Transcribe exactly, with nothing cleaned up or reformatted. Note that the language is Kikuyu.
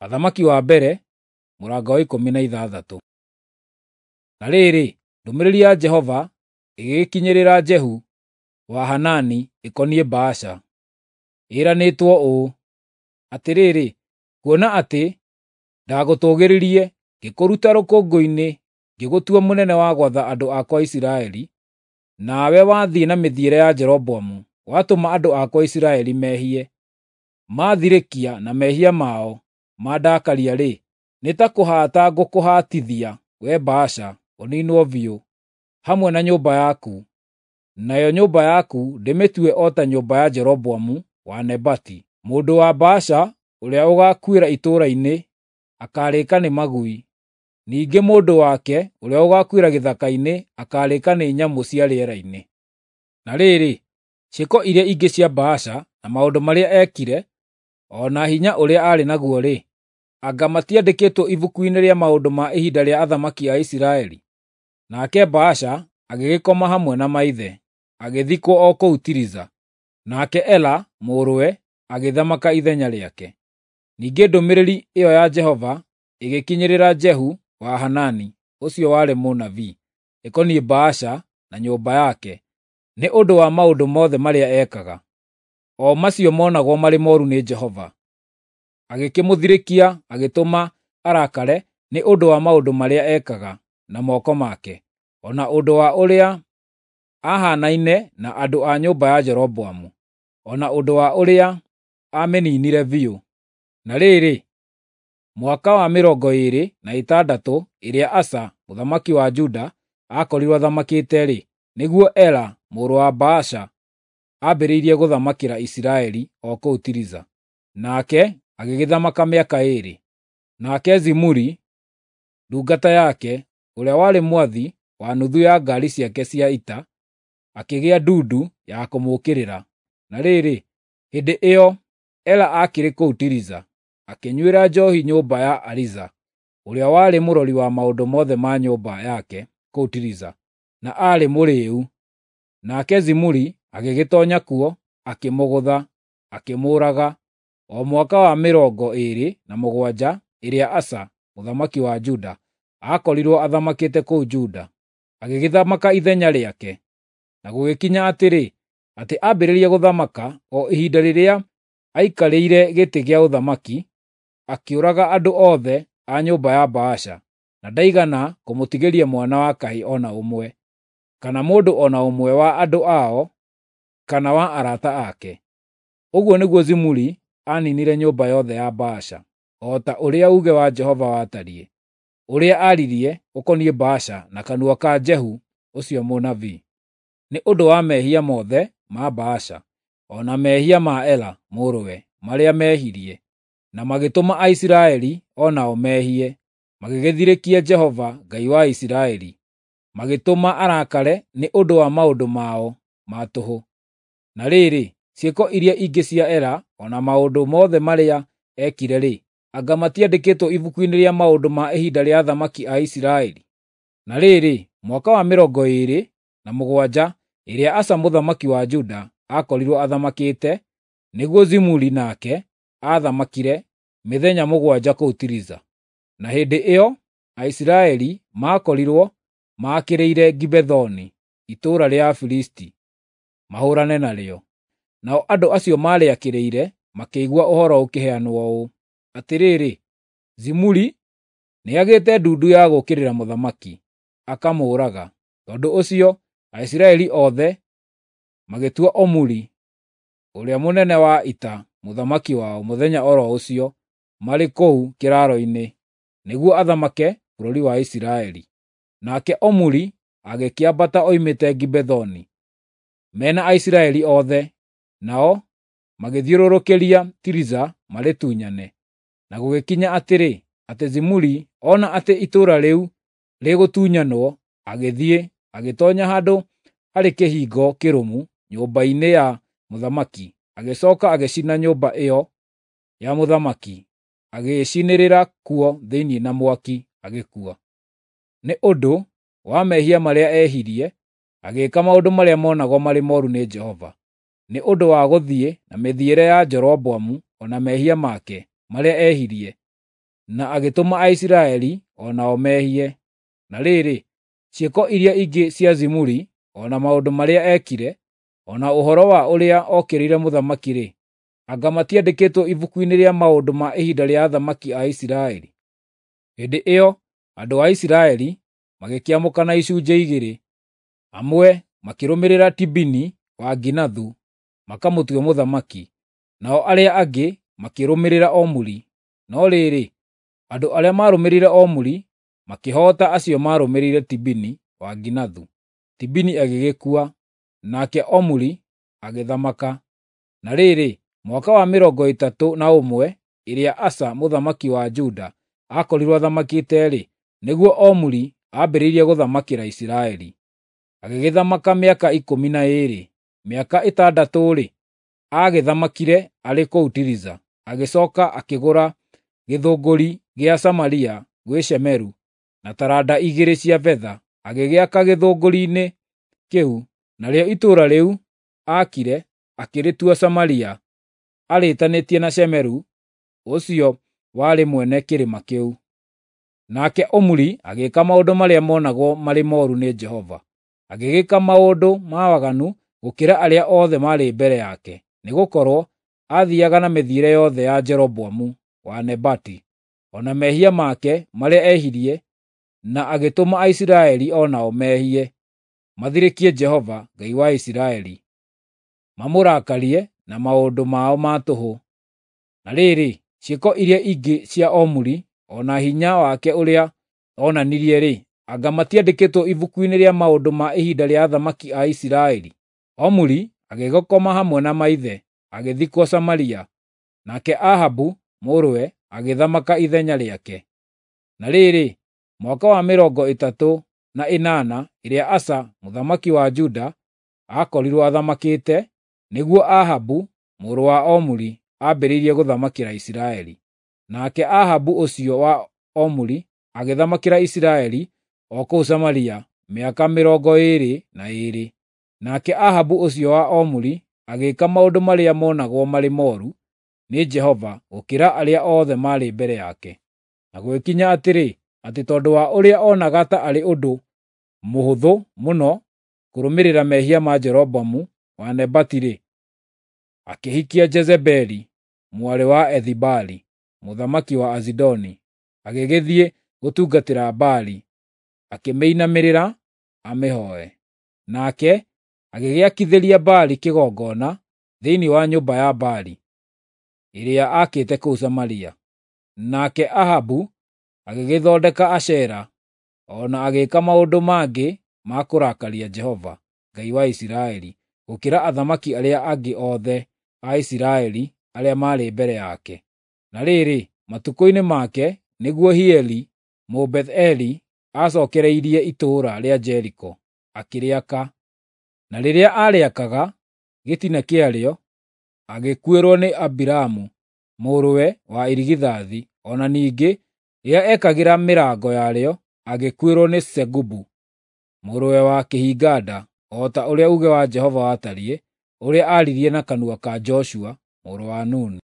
Athamaki wa mbere mũrango wa ikũmi na ithathatũ. Na rĩrĩ, ndũmĩrĩri ya Jehova ĩgĩgĩkinyĩrĩra Jehu wa Hanani ĩkoniĩ Baasha, ĩranĩtwo ũũ: Atĩrĩrĩ, kuona atĩ ndagũtũgĩririe, ngĩkũruta rũkũngũ-inĩ ngĩgũtua mũnene wa gwatha andũ akwa Isiraeli, nawe wathiĩ na mĩthiĩre ya Jeroboamu, watũma andũ akwa Isiraeli mehie, maathirĩkia na mehia mao mandakaria-rĩ, nĩ ta kũhaata ngũkũhaatithia, wee Baasha, ũniinwo biũ, hamwe na nyũmba yaku, nayo nyũmba yaku ndĩmĩtue o ta nyũmba ya Jeroboamu wa Nebati. Mũndũ wa Baasha ũrĩa ũgaakuĩra itũũra-inĩ akaarĩĩka nĩ magui, ningĩ mũndũ wake ũrĩa ũgaakuĩra gĩthaka-inĩ akaarĩĩka nĩ nyamũ cia rĩera-inĩ. Na rĩrĩ, ciĩko iria ingĩ cia Baasha na maũndũ marĩa eekire, o na hinya ũrĩa aarĩ naguo-rĩ, anga matiandĩkĩtwo ibuku-inĩ rĩa maũndũ ma ihinda rĩa athamaki a Isiraeli? Nake Baasha agĩgĩkoma hamwe na maithe, agĩthikwo o kũu Tiriza. Nake Ela mũrũwe agĩthamaka ithenya rĩake. Ningĩ ndũmĩrĩri ĩyo ya Jehova ĩgĩkinyĩrĩra Jehu wa Hanani, ũcio warĩ mũnabii, ĩkoniĩ Baasha na nyũmba yake, nĩ ũndũ wa maũndũ mothe marĩa ekaga, o macio monagwo marĩ mooru nĩ Jehova. Agĩkĩmũthirĩkia agĩtũma arakare nĩ ũndũ wa maũndũ marĩa ekaga na moko make, o na ũndũ wa ũrĩa aahaanaine na andũ a nyũmba ya Jeroboamu, o na ũndũ wa ũrĩa aamĩniinire biũ. Na rĩrĩ, mwaka wa mĩrongo ĩĩrĩ na ĩtandatũ ĩrĩa Asa mũthamaki wa Juda aakorirwo athamakĩte-rĩ, nĩguo Ela mũrũ wa Baasha aambĩrĩirie gũthamakĩra Isiraeli o kũu Tiriza, nake agĩgĩthamaka mĩaka ĩĩrĩ. Nake Zimuri, ndungata yake, ũrĩa warĩ mwathi wa nuthu ya ngaari ciake cia ita, akĩgĩa ndundu ya kũmũũkĩrĩra. Na rĩrĩ, hĩndĩ ĩyo Ela aakĩrĩ kũu Tiriza, akĩnyuĩra njoohi nyũmba ya Ariza, ũrĩa warĩ mũrori wa maũndũ mothe ma nyũmba yake kũu Tiriza, na aarĩ mũrĩĩu. Nake Zimuri agĩgĩtoonya kuo, akĩmũgũtha, akĩmũũraga, o mwaka wa mĩrongo ĩĩrĩ na mũgwanja ĩrĩa Asa mũthamaki wa Juda aakorirwo athamakĩte kũu Juda. Agĩgĩthamaka ithenya rĩake. Na gũgĩkinya atĩrĩ, atĩ ambĩrĩria gũthamaka, o ihinda rĩrĩa aikarĩire gĩtĩ gĩa ũthamaki, akĩũraga andũ othe a nyũmba ya Baasha, na ndaigana kũmũtigĩria mwana wa kahĩĩ o na ũmwe, kana mũndũ o na ũmwe wa andũ ao, kana wa arata ake. Ũguo nĩguo Zimuri aaninire nyũmba yothe ya Baasha, o ta ũrĩa uuge wa Jehova watariĩ, ũrĩa aaririe ũkoniĩ Baasha na kanua ka Jehu ũcio mũnabii, nĩ ũndũ wa mehia mothe ma Baasha, o na mehia ma Ela mũrũwe marĩa mehirie, na magĩtũma Aisiraeli o nao mehie, magĩgĩthirĩkia Jehova Ngai wa Isiraeli, magĩtũma arakare nĩ ũndũ wa maũndũ mao ma tũhũ. Na rĩrĩ, ciĩko iria ingĩ cia Ela o na maũndũ mothe marĩa eekire-rĩ, anga matiandĩkĩtwo ibuku-inĩ rĩa maũndũ ma ihinda rĩa athamaki a Isiraeli? Na rĩrĩ, mwaka wa mĩrongo ĩĩrĩ na mũgwanja ĩrĩa Asa mũthamaki wa Juda aakorirwo athamakĩte, nĩguo Zimuri nake aathamakire mĩthenya mũgwanja kũu Tiriza. Na hĩndĩ ĩyo Aisiraeli maakorirwo maakĩrĩire Gibethoni, itũũra rĩa Afilisti, mahũũrane narĩo. Nao andũ acio maarĩakĩrĩire makĩigua ũhoro ũkĩheanwo ũũ: Atĩrĩrĩ, Zimuri nĩagĩte ndundu ya gũũkĩrĩra mũthamaki, akamũũraga. Tondũ ũcio Aisiraeli othe magĩtua Omuri, ũrĩa mũnene wa ita, mũthamaki wao mũthenya o ro ũcio marĩ kũu kĩraaro-inĩ, nĩguo athamake bũrũri wa Isiraeli. Nake Omuri agĩkĩambata oimĩte Gibethoni, me na Aisiraeli othe, nao magĩthiũrũrũkĩria Tiriza marĩtunyane. Na gũgĩkinya atĩrĩ, atĩ Zimuri ona atĩ itũũra rĩu rĩgũtunyanwo, agĩthiĩ agĩtoonya handũ harĩ kĩhingo kĩrũmu nyũmba-inĩ ya mũthamaki, agĩcooka agĩcina nyũmba ĩyo ya mũthamaki, agĩĩcinĩrĩra kuo thĩinĩ na mwaki, agĩkua. Nĩ ũndũ wa mehia marĩa eehirie, agĩĩka maũndũ marĩa monagwo marĩ mooru nĩ Jehova, nĩ ũndũ wa gũthiĩ na mĩthiĩre ya Jeroboamu o na mehia make marĩa ehirie, na agĩtũma Aisiraeli o nao mehie. Na rĩrĩ, ciĩko iria ingĩ cia Zimuri, o na maũndũ marĩa eekire, o na ũhoro wa ũrĩa okĩrĩire mũthamaki-rĩ, anga matiandĩkĩtwo ibuku-inĩ rĩa maũndũ ma ihinda rĩa athamaki a Isiraeli? Hĩndĩ ĩyo andũ a Isiraeli magĩkĩamũkana icunjĩ igĩrĩ, amwe makĩrũmĩrĩra Tibini wa Ginathu makamũtue mũthamaki, nao arĩa angĩ makĩrũmĩrĩra Omuri. No rĩrĩ, andũ arĩa maarũmĩrĩire Omuri makĩhoota acio maarũmĩrĩire Tibini wa Ginathu. Tibini agĩgĩkua, nake Omuri agĩthamaka. Na rĩrĩ, mwaka wa mĩrongo ĩtatũ na ũmwe ĩrĩa Asa mũthamaki wa Juda aakorirwo athamakĩte-rĩ, nĩguo Omuri aambĩrĩirie gũthamakĩra Isiraeli. Agĩgĩthamaka mĩaka ikũmi na ĩĩrĩ. Mĩaka ĩtandatũ-rĩ, aagĩthamakire arĩ kũu Tiriza. Agĩcooka akĩgũra gĩthũngũri gĩa Samaria gwĩ Shemeru na taranda igĩrĩ cia betha, agĩgĩaka gĩthũngũri-inĩ kĩu, narĩo itũũra rĩu aakire akĩrĩtua Samaria, arĩĩtanĩtie na Shemeru ũcio warĩ mwene kĩrĩma kĩu. Nake Omuri agĩĩka maũndũ marĩa monagwo marĩ mooru nĩ Jehova. Agĩgĩka maũndũ ma waganu gũkĩra arĩa othe maarĩ mbere yake, nĩgũkorwo aathiiaga na mĩthiĩre yothe ya Jeroboamu wa Nebati, o na mehia make marĩa ehirie, na agĩtũma Aisiraeli o nao mehie, mathirĩkie Jehova, Ngai wa Isiraeli, mamũrakarie na maũndũ mao ma tũhũ. Na rĩrĩ, ciĩko iria ingĩ cia Omuri, o na hinya wake ũrĩa onanirie-rĩ, anga matiandĩkĩtwo ibuku-inĩ rĩa maũndũ ma ihinda rĩa athamaki a Isiraeli? Omuri agĩgĩkoma hamwe na maithe, agĩthikwo Samaria, nake Ahabu mũrũwe agĩthamaka ithenya rĩake. Na rĩrĩ, mwaka wa mĩrongo ĩtatũ na ĩnana ĩrĩa Asa mũthamaki wa Juda aakorirwo athamakĩte, nĩguo Ahabu mũrũ wa Omuri aambĩrĩirie gũthamakĩra Isiraeli. Nake Ahabu ũcio wa Omuri agĩthamakĩra Isiraeli o kũu Samaria mĩaka mĩrongo ĩĩrĩ na ĩĩrĩ. Nake Ahabu ũcio wa Omuri agĩĩka maũndũ marĩa monagwo marĩ mooru nĩ Jehova gũkĩra arĩa othe maarĩ mbere yake. Na gũgĩkinya atĩrĩ, atĩ tondũ wa ũrĩa onaga ta arĩ ũndũ mũhũthũ mũno kũrũmĩrĩra mehia ma Jeroboamu wa Nebati-rĩ, akĩhikia Jezebeli mwarĩ wa Ethibaali mũthamaki wa Azidoni, agĩgĩthiĩ gũtungatĩra Baali, akĩmĩinamĩrĩra amĩhooe. Nake agĩgĩakithĩria Baali kĩgongona thĩinĩ wa nyũmba ya Baali ĩrĩa aakĩte kũu Samaria. Nake Ahabu agĩgĩthondeka Ashera, o na agĩĩka maũndũ mangĩ ma kũrakaria Jehova, Ngai wa Isiraeli, gũkĩra athamaki arĩa angĩ othe a Isiraeli arĩa maarĩ mbere yake. Na rĩrĩ, matukũ-inĩ make nĩguo Hieli Mũbetheli acookereirie itũũra rĩa Jeriko, akĩrĩaka. Na rĩrĩa aarĩakaga gĩtina kĩarĩo, agĩkuĩrwo nĩ Abiramu mũrũwe wa irigithathi, o na ningĩ rĩrĩa eekagĩra mĩrango yarĩo, agĩkuĩrwo nĩ Segubu mũrũwe wa kĩhinga-nda, o ta ũrĩa uuge wa Jehova watariĩ, ũrĩa aaririe na kanua ka Joshua mũrũ wa Nuni.